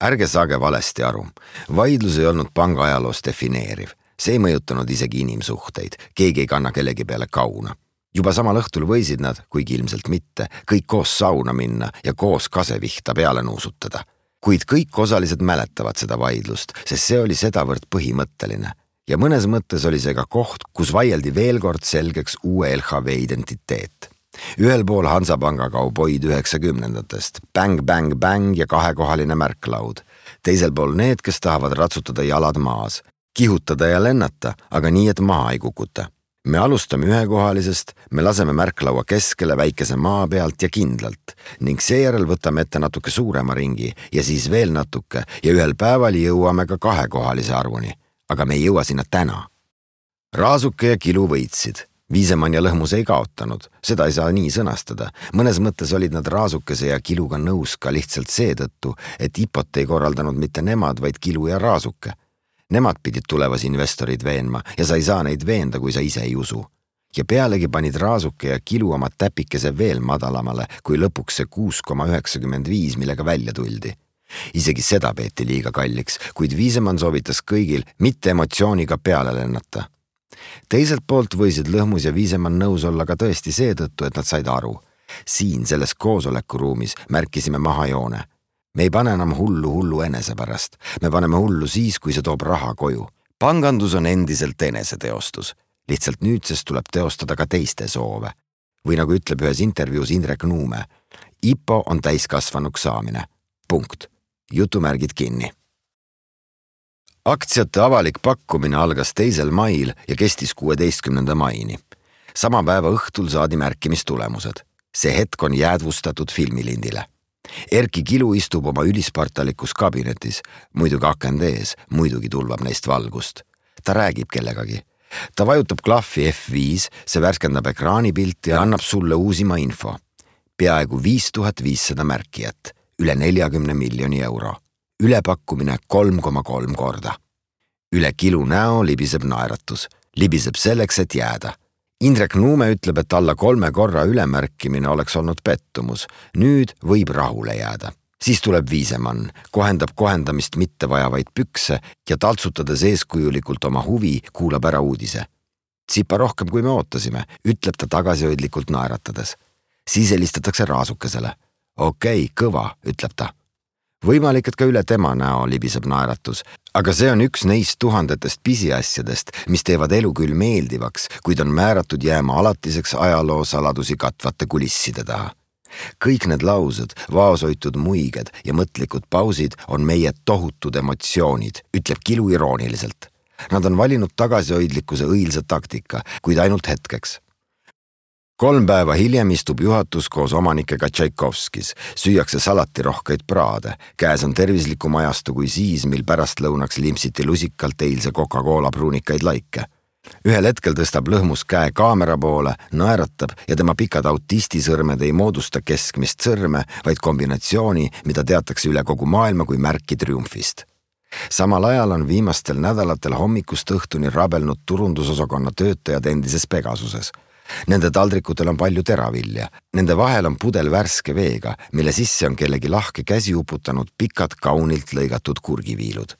Ärge saage valesti aru, vaidlus ei olnud panga ajaloos defineeriv. See ei mõjutanud isegi inimsuhteid, keegi ei kanna kellegi peale kauna. Juba samal õhtul võisid nad, kuigi ilmselt mitte, kõik koos sauna minna ja koos kasevihta peale nuusutada. Kuid kõik osalised mäletavad seda vaidlust, sest see oli sedavõrd põhimõtteline. Ja mõnes mõttes oli see ka koht, kus vaieldi veel kord selgeks uue LHV identiteet. Ühel pool Hansapanga kauboid 90-ndatest, bang, bang, bang ja kahekohaline märklaud. Teisel pool need, kes tahavad ratsutada jalad maas. Kihutada ja lennata, aga nii, et maha ei kukuta. Me alustame ühekohalisest, me laseme märklaua keskele väikese maa pealt ja kindlalt ning seejärel võtame ette natuke suurema ringi ja siis veel natuke ja ühel päeval jõuame ka kahekohalise arvuni, aga me ei jõua sinna täna. Raasuke ja Kilu võitsid. Viisemann ja Lõhmus ei kaotanud, seda ei saa nii sõnastada. Mõnes mõttes olid nad Raasukese ja Kiluga nõus ka lihtsalt seetõttu, et IPOt ei korraldanud mitte nemad, vaid Kilu ja Raasuke. Nemad pidid tulevas investorid veenma ja sa ei saa neid veenda, kui sa ise ei usu. Ja pealegi panid Raasuke ja Kilu oma täpikese veel madalamale, kui lõpuks see 6,95, millega välja tuldi. Isegi seda peeti liiga kalliks, kuid Viisemann soovitas kõigil mitte emotsiooniga peale lennata. Teiselt poolt võisid Lõhmus ja Viisemann nõus olla ka tõesti seetõttu, et nad said aru. Siin selles koosolekuruumis märkisime mahajoone. Me ei pane enam hullu enese pärast. Me paneme hullu siis, kui see toob raha koju. Pangandus on endiselt eneseteostus. Lihtsalt nüüdsest tuleb teostada ka teiste soove. Või nagu ütleb ühes intervjuus Indrek Nuume, IPO on täiskasvanuks saamine. Punkt. Jutumärgid kinni. Aktsiate avalik pakkumine algas 2. mail ja kestis 16. maini. Sama päeva õhtul saadi märkimistulemused. See hetk on jäädvustatud filmilindile. Erki Kilu istub oma ülispartalikus kabinetis, muidugi akende ees, muidugi tulvab neist valgust. Ta räägib kellegagi. Ta vajutab klahvi F5, see värskendab ekraanipilti ja annab sulle uusima info. Peaaegu 5500 märkijat, üle 40 miljoni euro. Ülepakkumine 3,3 korda. Üle Kilu näo libiseb naeratus. Libiseb selleks, et jääda. Indrek Nuume ütleb, et alla 3 korra ülemärkimine oleks olnud pettumus. Nüüd võib rahule jääda. Siis tuleb Viisemann, kohendab kohendamist mitte vajavaid pükse ja taltsutades eeskujulikult oma huvi, kuulab ära uudise. Tsipa rohkem, kui me ootasime, ütleb ta tagasihoidlikult naeratades. Siis helistatakse Raasukesele. Okei, kõva, ütleb ta. Võimalik, et ka üle tema näo libiseb naeratus, aga see on üks neist tuhandetest pisiasjadest, mis teevad elu küll meeldivaks, kuid on määratud jääma alatiseks ajaloo saladusi katvate kulisside taha. Kõik need laused, vaoshoitud muiged ja mõtlikud pausid on meie tohutud emotsioonid, ütleb Kilu irooniliselt. Nad on valinud tagasihoidlikkuse õilsa taktika, kuid ainult hetkeks. 3 päeva hiljem istub juhatus koos omanikega Tšaikovskis, süüakse salatirohkeid praade, käes on tervislikum ajastu kui siis, mil pärast lõunaks limpsiti lusikalt eilse Coca-Cola pruunikaid laike. Ühel hetkel tõstab Lõhmus käe kaamera poole, naeratab ja tema pikad autistisõrmed ei moodusta keskmist sõrme, vaid kombinatsiooni, mida teatakse üle kogu maailma kui märki triumfist. Samal ajal on viimastel nädalatel hommikust õhtuni rabelnud turundusosakonna töötajad endises Pegasuses. Nende taldrikutel on palju teravilja. Nende vahel on pudel värske veega, mille sisse on kellegi lahke käsi uputanud pikad kaunilt lõigatud kurgiviilud.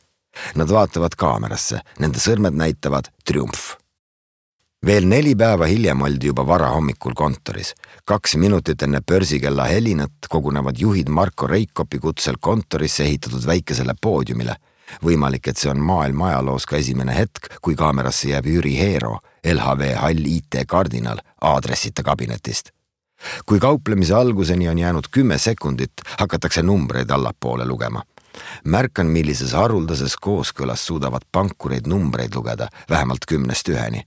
Nad vaatavad kaamerasse, nende sõrmed näitavad triumf. Veel 4 päeva hiljem oldi juba vara hommikul kontoris. 2 minutit enne börsikella helinat kogunevad juhid Marko Reikopi kutsel kontorisse ehitatud väikesele poodiumile. Võimalik, et see on maailma ajaloos ka esimene hetk, kui kaamerasse jääb Jüri Heero, LHV Hall IT kardinal, aadressita kabinetist. Kui kauplemise alguseni on jäänud 10 sekundit, hakatakse numbreid allapoole lugema. Märkan, millises haruldases kooskõlas suudavad pankureid numbreid lugeda, vähemalt 10-st 1-ni.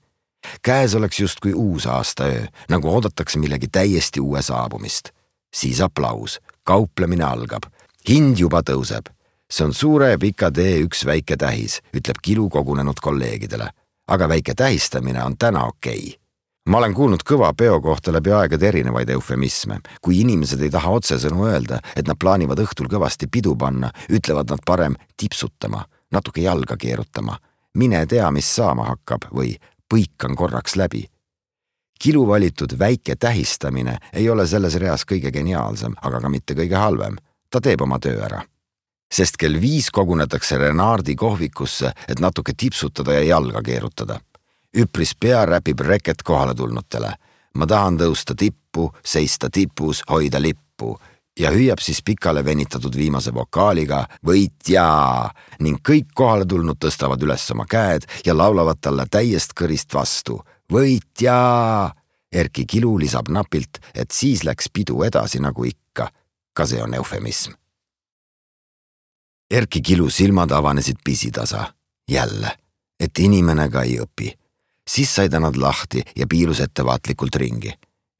Käes oleks justkui uus aastaöö, nagu oodatakse millegi täiesti uue saabumist. Siis aplaus, kauplemine algab, hind juba tõuseb. See on suure ja pika tee üks väike tähis, ütleb Kilu kogunenud kolleegidele. Aga väike tähistamine on täna okei. Ma olen kuulnud kõva peo kohta läbi aegade erinevaid eufemisme. Kui inimesed ei taha otsesõnu öelda, et nad plaanivad õhtul kõvasti pidu panna, ütlevad nad parem tipsutama, natuke jalga keerutama. Mine tea, mis saama hakkab või põikan korraks läbi. Kilu valitud väike tähistamine ei ole selles reas kõige geniaalsem, aga ka mitte kõige halvem. Ta teeb oma töö ära. Sest kell 5 kogunetakse Renardi kohvikusse, et natuke tipsutada ja jalga keerutada. Üpris pea räpib reket kohale tulnutele. Ma tahan tõusta tippu, seista tipus, hoida lippu. Ja hüüab siis pikale venitatud viimase vokaaliga võitjaa ning kõik kohale tulnud tõstavad üles oma käed ja laulavad talle täiest kõrist vastu. Võitjaa! Erki Kilu lisab napilt, et siis läks pidu edasi nagu ikka. Ka see on eufemism. Erki Kilu silmad avanesid pisitasa. Jälle, et inimene ka ei õpi. Siis sai ta nad lahti ja piilus ettevaatlikult ringi.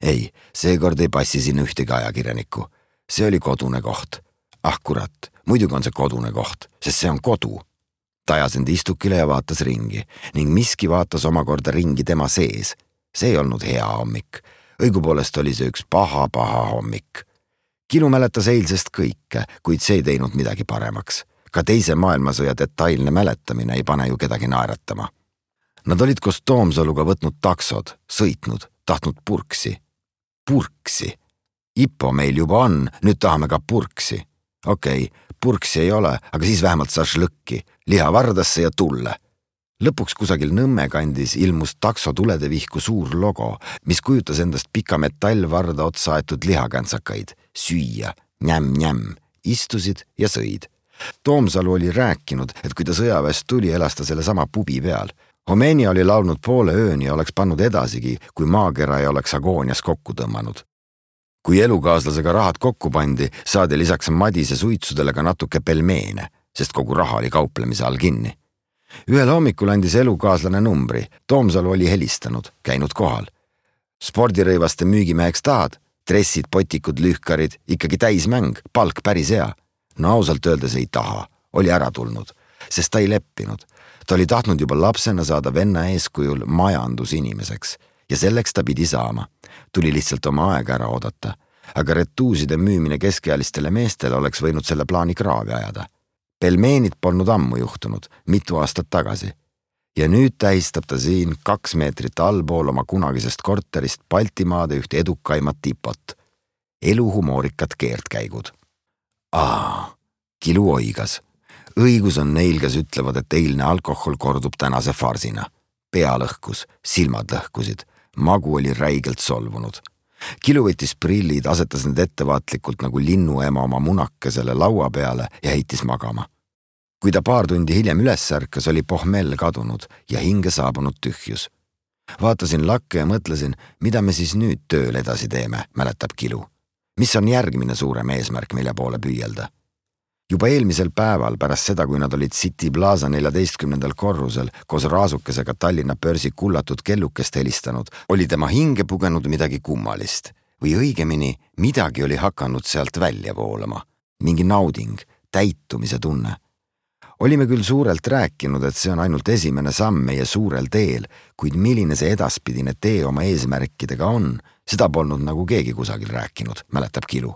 Ei, seekord ei passi sinna ühtegi ajakirjanikku. See oli kodune koht. Ah kurat, muidugi on see kodune koht, sest see on kodu. Ta ajas end istukile ja vaatas ringi ning miski vaatas omakorda ringi tema sees. See ei olnud hea hommik. Õigupoolest oli see üks paha hommik. Kilu mäletas eilsest kõike, kuid see ei teinud midagi paremaks. Ka teise maailmasõja detailne mäletamine ei pane ju kedagi naeratama. Nad olid koos Toomsaluga võtnud taksod, sõitnud, tahtnud purksi. Purksi. Ipo meil juba on, nüüd tahame ka purksi. Okei, purksi ei ole, aga siis vähemalt šašlõkki, liha vardasse ja tulle. Lõpuks kusagil Nõmme kandis ilmus takso tuledevihku suur logo, mis kujutas endast pika metallvarda otsa aetud lihakantsakaid. Süüa, njäm, istusid ja sõid. Toomsalu oli rääkinud, et kui ta sõjaväest tuli, elas ta selle sama pubi peal. Homenia oli laulnud poole ööni ja oleks pannud edasigi, kui maakera ei oleks agoonias kokku tõmmanud. Kui elukaaslasega rahad kokku pandi, saadi lisaks Madise suitsudele ka natuke pelmeene, sest kogu raha oli kauplemise all kinni. Ühel hommikul andis elukaaslane numbri. Toomsalu oli helistanud, käinud kohal. Spordirõivaste müügimeheks tahad? Dressid, potikud, lühkarid, ikkagi täismäng, palk päris hea. No ausalt öeldes ei taha, oli ära tulnud, sest ta ei leppinud. Ta oli tahtnud juba lapsena saada venna eeskujul majandusinimeseks ja selleks ta pidi saama. Tuli lihtsalt oma aega ära oodata, aga retuuside müümine keskealistele meestele oleks võinud selle plaani kraavi ajada. Pelmeenid polnud ammu juhtunud, mitu aastat tagasi. Ja nüüd tähistab ta siin 2 meetrit allpool oma kunagisest korterist Baltimaade üht edukaimat tipot. Eluhumoorikad keertkäigud. Kilu oigas. Õigus on neil, kes ütlevad, et eilne alkohol kordub tänase farsina. Pea lõhkus, silmad lõhkusid, magu oli räigelt solvunud. Kilu võttis prillid, asetas need ettevaatlikult nagu linnuema oma munakesele laua peale ja heitis magama. Kui ta paar tundi hiljem üles ärkas, oli pohmell kadunud ja hinge saabunud tühjus. Vaatasin lakke ja mõtlesin, mida me siis nüüd tööl edasi teeme, mäletab Kilu. Mis on järgmine suurem eesmärk, mille poole püüelda? Juba eelmisel päeval pärast seda, kui nad olid City Plaza 14. korrusel koos raasukesega Tallinna börsi kullatud kellukest helistanud, oli tema hinge pugenud midagi kummalist. Või õigemini, midagi oli hakanud sealt välja voolama. Mingi nauding, täitumise tunne. Olime küll suurelt rääkinud, et see on ainult esimene samm meie suurel teel, kuid milline see edaspidine tee oma eesmärkidega on, seda polnud nagu keegi kusagil rääkinud, mäletab Kilu.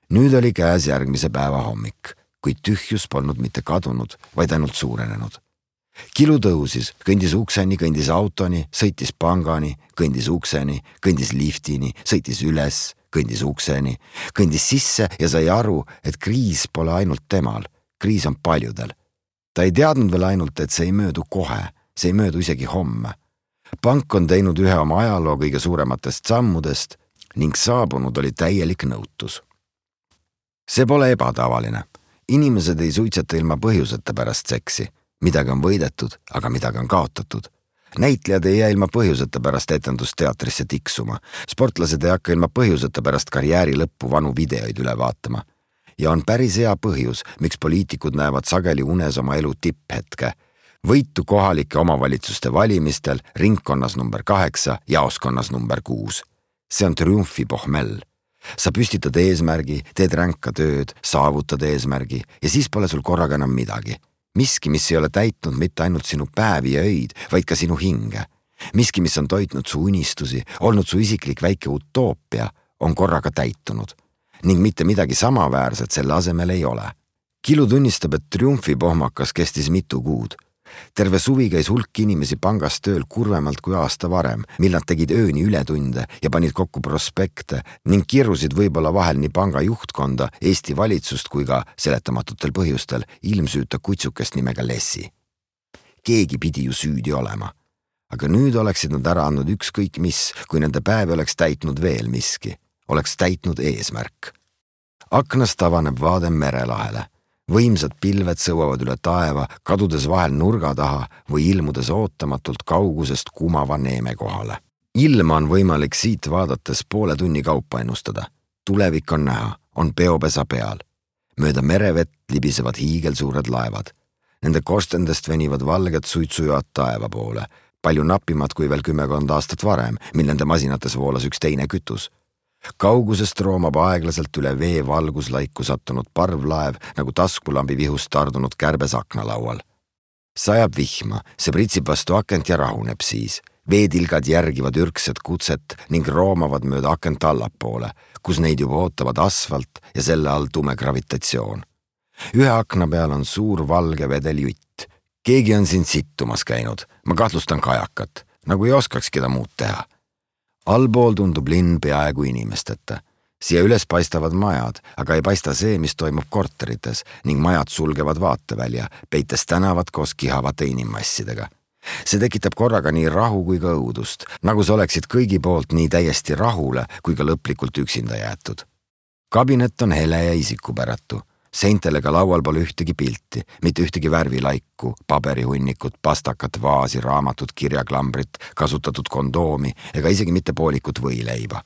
Nüüd oli käes järgmise päeva hommik, kuid tühjus polnud mitte kadunud, vaid ainult suurenenud. Kilu tõusis, kõndis ukseni, kõndis autoni, sõitis pangani, kõndis ukseni, kõndis liftini, sõitis üles, kõndis ukseni, kõndis sisse ja sai aru, et kriis pole ainult temal, kriis on paljudel. Ta ei teadnud veel ainult, et see ei möödu kohe, see ei möödu isegi homme. Pank on teinud ühe oma ajaloo kõige suurematest sammudest ning saabunud oli täielik nõutus. See pole ebatavaline. Inimesed ei suitseta ilma põhjuseta pärast seksi. Midagi on võidetud, aga midagi on kaotatud. Näitlejad ei jää ilma põhjuseta pärast etendusteatrisse tiksuma. Sportlased ei hakka ilma põhjuseta pärast karjääri lõppu vanu videoid üle vaatama. Ja on päris hea põhjus, miks poliitikud näevad sageli unes oma elu tipphetke. Võitu kohalike omavalitsuste valimistel ringkonnas number 8, jaoskonnas number 6. See on triumfi pohmell. Sa püstitad eesmärgi, teed ränka tööd, saavutad eesmärgi ja siis pole sul korraga enam midagi. Miski, mis ei ole täitnud mitte ainult sinu päevi ja öid, vaid ka sinu hinge. Miski, mis on toitnud su unistusi, olnud su isiklik väike utoopia, on korraga täitunud. Ning mitte midagi samaväärset selle asemel ei ole. Kilu tunnistab, et triumfipohmakas kestis mitu kuud. Terve suvi käis hulk inimesi pangas tööl kurvemalt kui aasta varem, mil nad tegid ööni ületunde ja panid kokku prospekte ning kirrusid võib-olla vahel nii panga juhtkonda, Eesti valitsust kui ka seletamatutel põhjustel ilmsüüta kutsukest nimega Lessi. Keegi pidi ju süüdi olema. Aga nüüd oleksid nad ära andnud ükskõik mis, kui nende päev oleks täitnud veel miski. Oleks täitnud eesmärk. Aknast avaneb vaade merelahele. Võimsad pilved sõuavad üle taeva, kadudes vahel nurga taha või ilmudes ootamatult kaugusest kumava neeme kohale. Ilma on võimalik siit vaadates poole tunni kaupa ennustada. Tulevik on näha, on peopesa peal. Mööda merevett libisevad hiigelsuured laevad. Nende korstendest venivad valged suitsujoad taeva poole, palju napimad kui veel 10 aastat varem, mil nende masinates voolas üks teine kütus. Kaugusest roomab aeglaselt üle vee valguslaiku sattunud parvlaev nagu taskulambi vihust tardunud kärbes aknalaual. Sajab vihma, see pritsib vastu akent ja rahuneb siis. Veetilgad järgivad ürkset kutset ning roomavad mööda akent allapoole, kus neid juba ootavad asfalt ja selle all tume gravitatsioon. Ühe akna peal on suur valge vedeljutt. Keegi on siin sittumas käinud, ma kahtlustan kajakat, nagu ei oskaks keda muud teha. Allpool tundub linn peaaegu inimesteta. Siia üles paistavad majad, aga ei paista see, mis toimub korterites ning majad sulgevad vaatevälja, peites tänavad koos kihavate inimmassidega. See tekitab korraga nii rahu kui ka õudust, nagu sa oleksid kõigi poolt nii täiesti rahule kui ka lõplikult üksinda jäetud. Kabinet on hele ja isikupäratu. Seintele ka laual pole ühtegi pilti, mitte ühtegi värvilaiku, paberihunnikut, pastakat, vaasi, raamatut, kirjaklambrit, kasutatud kondoomi ega isegi mitte poolikut võileiba.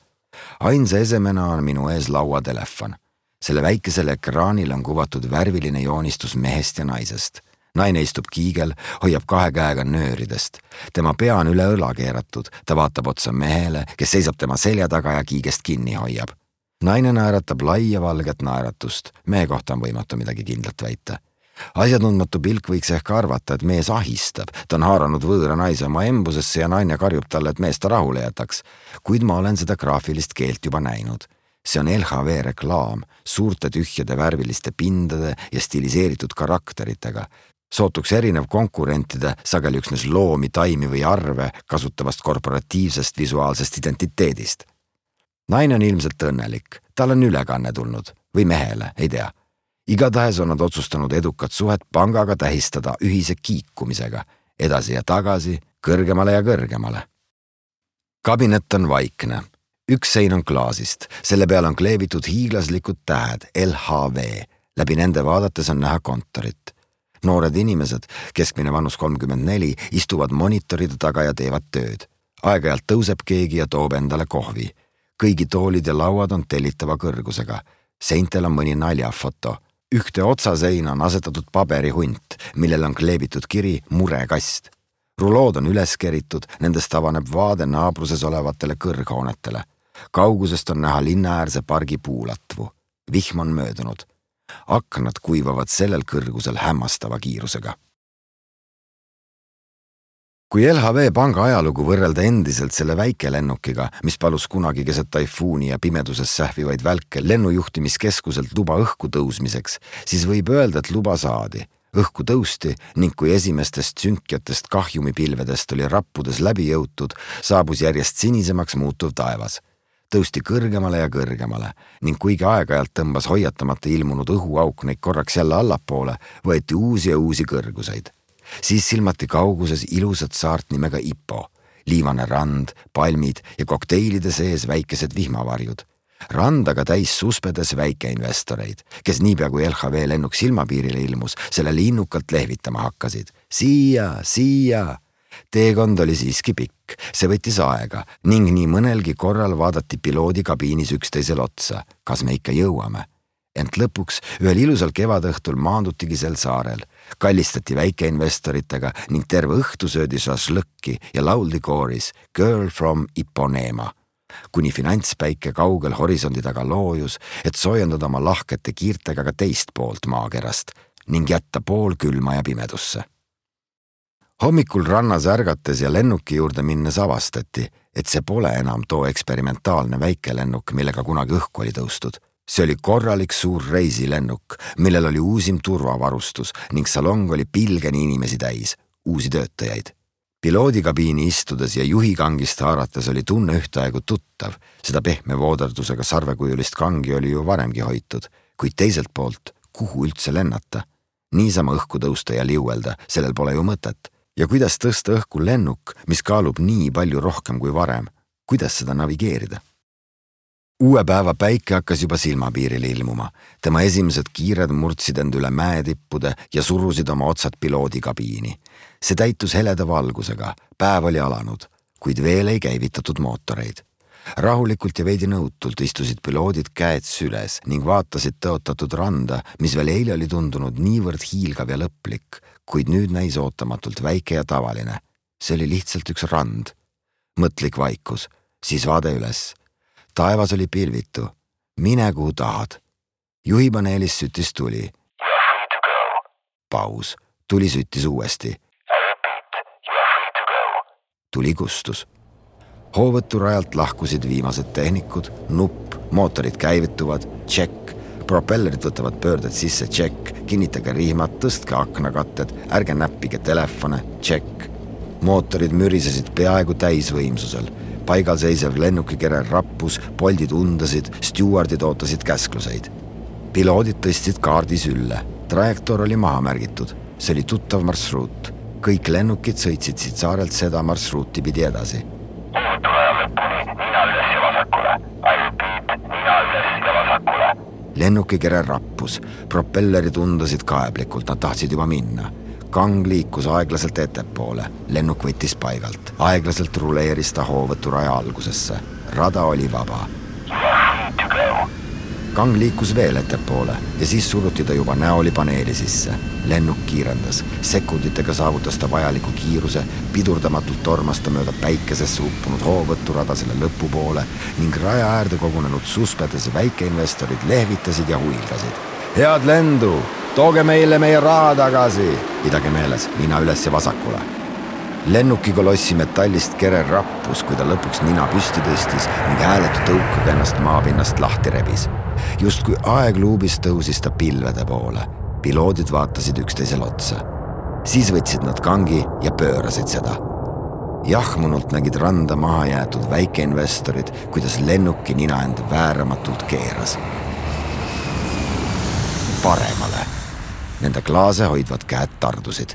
Ainsa esemena on minu ees lauatelefon. Selle väikesel ekraanil on kuvatud värviline joonistus mehest ja naisest. Naine istub kiigel, hoiab 2 käega nööridest. Tema pea on üle õla keeratud, ta vaatab otsa mehele, kes seisab tema selja taga ja kiigest kinni hoiab. Naine naeratab laia valget naeratust, mehe kohta on võimatu midagi kindlat väita. Asjatundmatu pilk võiks ehk arvata, et mees ahistab, ta on haaranud võõra naise oma embusesse ja naine karjub talle, et mees ta rahule jätaks, kuid ma olen seda graafilist keelt juba näinud. See on LHV reklaam, suurte tühjade värviliste pindade ja stiliseeritud karakteritega. Sootuks erinev konkurentide, sageli üksnes loomi, taimi või arve kasutavast korporatiivsest visuaalsest identiteedist. Naine on ilmselt õnnelik, tal on ülekanne tulnud või mehele, ei tea. Igatahes on nad otsustanud edukat suhet pangaga tähistada ühise kiikumisega, edasi ja tagasi, kõrgemale ja kõrgemale. Kabinet on vaikne. Üks sein on klaasist, selle peal on kleebitud hiiglaslikud tähed LHV, läbi nende vaadates on näha kontorit. Noored inimesed, keskmine vanus 34, istuvad monitoride taga ja teevad tööd. Aeg-ajalt tõuseb keegi ja toob endale kohvi. Kõigi toolid ja lauad on tellitava kõrgusega. Seintel on mõni naljafoto. Ühte otsaseina on asetatud paberihunt, millel on kleebitud kiri murekast. Rulood on üles keritud, nendest avaneb vaade naabruses olevatele kõrghoonetele. Kaugusest on näha linnaäärse pargi puulatvu. Vihm on möödunud. Aknad kuivavad sellel kõrgusel hämmastava kiirusega. Kui LHV panga ajalugu võrrelda endiselt selle väikelennukiga, mis palus kunagi keset taifuuni ja pimeduses sähvivaid välke lennujuhtimiskeskuselt luba õhku tõusmiseks, siis võib öelda, et luba saadi. Õhku tõusti ning kui esimestest sünkjatest kahjumipilvedest oli rappudes läbi jõutud, saabus järjest sinisemaks muutuv taevas. Tõusti kõrgemale ja kõrgemale ning kuigi aeg-ajalt tõmbas hoiatamata ilmunud õhuauk neid korraks jälle allapoole, võeti uusi ja uusi kõrguseid. Siis silmati kauguses ilusat saart nimega Ipo, liivane rand, palmid ja kokteilide sees väikesed vihmavarjud. Randaga täis suspedes väikeinvestoreid, kes niipea kui LHV lennuk silmapiirile ilmus, sellele innukalt lehvitama hakkasid. Siia! Teekond oli siiski pikk, see võttis aega ning nii mõnelgi korral vaadati piloodi kabiinis üksteisel otsa, kas me ikka jõuame. Ent lõpuks ühel ilusal kevadõhtul maandutigi sel saarel, kallistati väikeinvestoritega ning terve õhtu söödi šašlõkki ja lauldi kooris Girl from Ipanema. kuni finantspäike kaugel horisondi taga loojus, et soojendada oma lahkete kiirtega ka teist poolt maakerast ning jätta pool külma ja pimedusse. Hommikul rannas ärgates ja lennuki juurde minnes avastati, et see pole enam too eksperimentaalne väikelennuk, millega kunagi õhku oli tõustud. See oli korralik suur reisilennuk, millel oli uusim turvavarustus ning salong oli pilgeni inimesi täis, uusi töötajaid. Piloodikabiini istudes ja juhikangist haarates oli tunne ühtaegu tuttav, seda pehme vooderdusega sarvekujulist kangi oli ju varemgi hoitud, kuid teiselt poolt, kuhu üldse lennata? Niisama õhku tõusta ja liuelda, sellel pole ju mõtet. Ja kuidas tõsta õhku lennuk, mis kaalub nii palju rohkem kui varem? Kuidas seda navigeerida? Uue päeva päike hakkas juba silmapiiril ilmuma. Tema esimesed kiired murdsid end üle mäetippude ja surusid oma otsad piloodikabiini. See täitus heleda valgusega, päev oli alanud, kuid veel ei käivitatud mootoreid. Rahulikult ja veidi nõutult istusid piloodid käed süles ning vaatasid tõotatud randa, mis veel eile oli tundunud niivõrd hiilgav ja lõplik, kuid nüüd näis ootamatult väike ja tavaline. See oli lihtsalt üks rand. Mõtlik vaikus, siis vaade üles. Taevas oli pilvitu. Mine kuhu tahad. Juhipaneelis süttis tuli. You are free to go. Paus. Tuli süttis uuesti. I repeat, you are free to go. Tuli kustus. Hoovõturajalt lahkusid viimased tehnikud, nupp, mootorid käivituvad, tšekk, propellerid võtavad pöörded sisse, tšekk, kinnitage rihmad, tõstke aknakatted, ärge näppige telefone, tšekk. Mootorid mürisesid peaaegu täisvõimsusel. Paigal seisev lennukikerer rappus, poldid undasid, stjuardid ootasid käskluseid. Piloodid tõstsid kaardi sülle. Trajektoor oli maha märgitud. See oli tuttav marsruut. Kõik lennukid sõitsid siit saarelt seda marsruuti pidi edasi. Hoovõturaja lõpuni, nina üles ja vasakule. I repeat, nina üles ja vasakule. Lennukikerer rappus. Propellerid undasid kaeblikult, nad tahtsid juba minna. Kang liikus aeglaselt ettepoole. Lennuk võttis paigalt. Aeglaselt ruleeris ta hoovõturaja algusesse. Rada oli vaba. You are free to go. Kang liikus veel ettepoole ja siis suruti ta juba näoli paneeli sisse. Lennuk kiirendas. Sekunditega saavutas ta vajaliku kiiruse, pidurdamatult tormas ta mööda päikesesse uppunud hoovõturada selle lõpupoole ning raja äärde kogunenud suspedes väikeinvestorid lehvitasid ja huilgasid. Head lendu! Tooge meile meie raha tagasi! Pidage meeles, nina üles ja vasakule. Lennukikolossi metallist kerer rappus, kui ta lõpuks nina püsti tõstis ning hääletu tõukaga ennast maapinnast lahti rebis. Just kui aegluubis tõusis ta pilvede poole. Piloodid vaatasid üksteisel otsa. Siis võtsid nad kangi ja pöörasid seda. Jahmunult nägid randa maha jäetud väikeinvestorid, kuidas lennuki nina end vääramatult keeras. Paremale. Nende klaase hoidvad käed tardusid.